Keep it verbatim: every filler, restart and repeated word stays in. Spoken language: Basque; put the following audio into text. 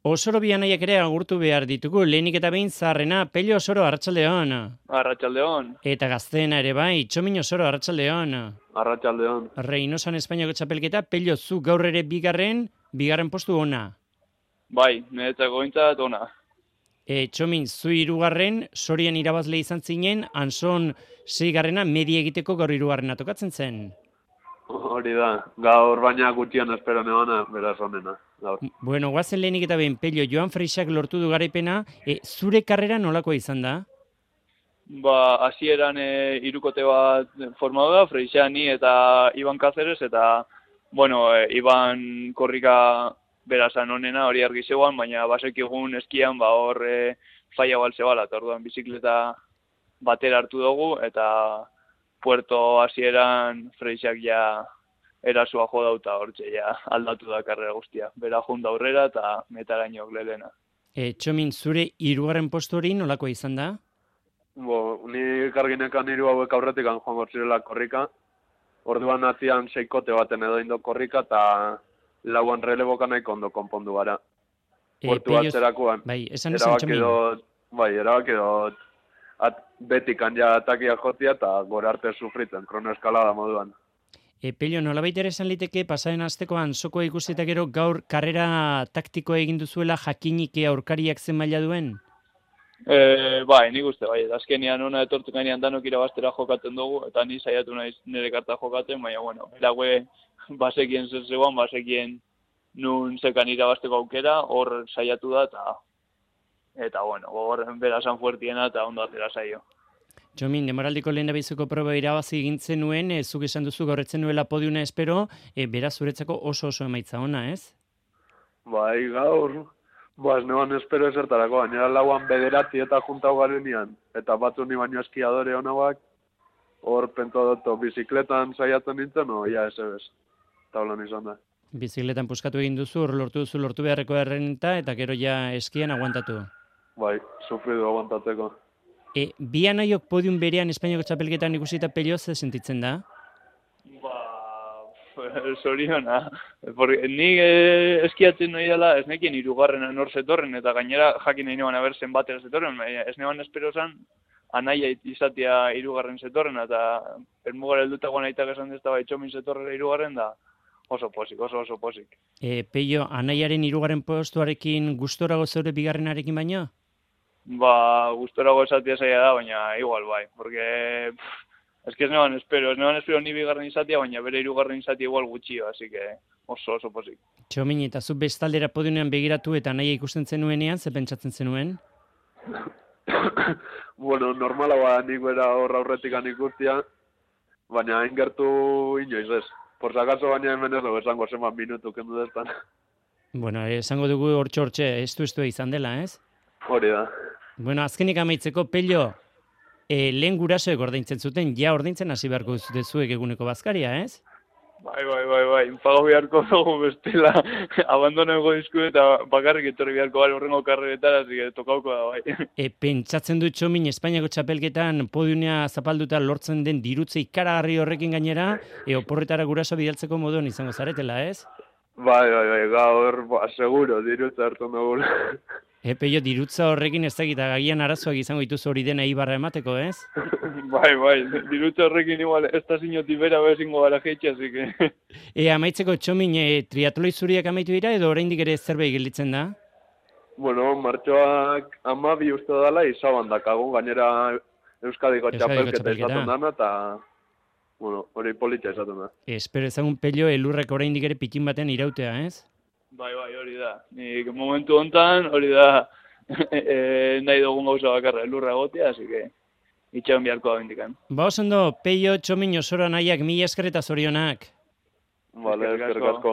Osoro bi anaiak ere agurtu behar ditugu, lehenik eta behin zaharrena, Pello Osoro, arratsaldeon. Arratsaldeon. Eta gazteena ere bai, Txomin Osoro, arratsaldeon. Arratsaldeon. Reinosan Espainiako txapelketa, Pello zu gaur ere bigarren, bigarren postu ona. Bai, niretzako gintzat ona. E, Txomin, zu hirugarren, Sorian irabazle izan zinen, Anson seigarrena media egiteko gaur hirugarrena tokatzen zen. Hori da, gaur baina gutxian espero nebana, beraz onena. Gaur. Bueno, guazen lehenik eta behin, Pello, Joan Freixak lortu du garaipena, e, zure karrera nolakoa izan da? Ba, hasieran e, irukote bat formatu da, Freixak ni eta Iban Cáceres, eta, bueno, e, Iban korrika berazan onena hori argi zegoan, baina basekigun eskian, ba, hor e, faia balze bala, eta orduan bizikleta batera hartu dugu, eta puerto hasieran Freixak ja erasua jo dauta hortxe, ja aldatu da karrera guztia. Bera junda aurrera eta metaraino lelena. E, Txomin, zure hirugarren postu hori nolakoa izan da? Bo, ni karginekan hiru hauek aurretik joango zirela korrika. Orduan atzian seikote baten edo indo korrika eta lauan releboka nahiko ondo konpondu gara. E, Portu Pello, atzerakoan. bai, esan esan Txomin. Dot, bai, erabaki dut at, betikan ja atakia jotia eta gora arte sufritzen, kronoeskalada moduan. E, Pello, nolabait ere esan liteke pasaren astekoan sokoa ikusi eta gero gaur karrera taktikoa egin duzuela jakinik aurkariak zen maila duen? E, bai, nik uste, bai, azkenian ona etortu gainean danok irabaztera jokatzen dugu, eta ni saiatu naiz nire karta jokatzen, baina, bueno, erague basekien zer zegoan, basekien nun zekan irabazteko aukera, hor saiatu da, eta, eta bueno, hor berazan fuertiena, eta ondo atera saio. Txomin, demoraldiko lehen dabizuko proba irabazi egintzen nuen, e, zuk esan duzu gaurretzen nuela podiuna espero, e, beraz zuretzako oso oso emaitza ona, ez? Bai, gaur, ba, ez neban espero ezertarako, gainera lauan bederatzi eta juntau garenean, eta batzu ni baino eskiadore honabak, hor pento dut, bizikletan saiatzen nintzen, no, ja, ez ebes, taulan izan da. Bizikletan puskatu egin duzu, hor lortu duzu lortu beharreko errenta, eta gero ja eskian aguantatu. Bai, sufridu aguantatzeko. E, bi anaiok podium berean Espainiako txapelketan ikusita Pello ze sentitzen da? Ba, zoriona. Ni eh, eskiatzen nahi dela, ez nekien hirugarrena nor zetorren, eta gainera jakin nahi neban abertzen batera zetorren, ez neban espero zan, anaia izatea hirugarren zetorren, eta ermugara heldutagoan aitak esan dezta bai Txomin zetorrera hirugarren da, oso posik, oso oso posik. E, Pello, anaiaren hirugarren postuarekin gustorago zeure bigarrenarekin baino? Ba, gustorago esatia zaila da, baina igual bai, porque pff, es que ez neban espero, ez neban espero ni bigarren izatia, baina bere hirugarren izatia igual gutxio, así que oso oso posik. Txomin, eta zu bestaldera podiunean begiratu eta naia ikusten zenuenean, ze pentsatzen zenuen? Bueno, normala ba, nik bera hor aurretikan ikustia, baina hain gertu inoiz ez. Por si acaso baina hemen ez dugu esango zenbat minutu kendu destan. Bueno, esango dugu hortxe hortxe, estu estu izan dela, ez? Hori da. Bueno, azkenik amaitzeko, Pello, e, lehen gurasoek ordaintzen zuten, ja ordaintzen hasi beharko zute zuek eguneko bazkaria, ez? Bai, bai, bai, bai, pago beharko dugu bestela, abandoneko dizku eta bakarrik etorri beharko gara horrengo karreretara, así que tokauko da, bai. E, pentsatzen du Txomin Espainiako txapelketan podiumea zapalduta lortzen den dirutze ikaragarri horrekin gainera, e, oporretara guraso bidaltzeko moduan izango zaretela, ez? Bai, bai, bai, gaur, ba, seguro, dirutza hartu dugu. E, Pello, dirutza horrekin ez dakit, agian arazoak izango dituzu hori dena ibarra emateko, ez? Bai, bai, dirutza horrekin igual, ez da zinoti bera bezingo gara jeitxe, así que... E, amaitzeko Txomin, e, triatloi zuriak amaitu dira edo oraindik ere zerbait gelditzen da? Bueno, martxoak amabi uste dela izaban dakagun, gainera Euskadiko txapelketa izaten dana, eta, bueno, hori politxa izaten da. Espero ezagun Pello, elurrek oraindik ere pitin baten irautea, ez? Bai, bai, hori da. Nik momentu hontan, hori da, e, e, nahi dugun gauza bakarra, elurra egotea, así que itxagon biharko da bendikan. Ba, osondo, Pello, Txomin, Osoro anaiak, mila esker eta zorionak. Vale, eskerrik asko.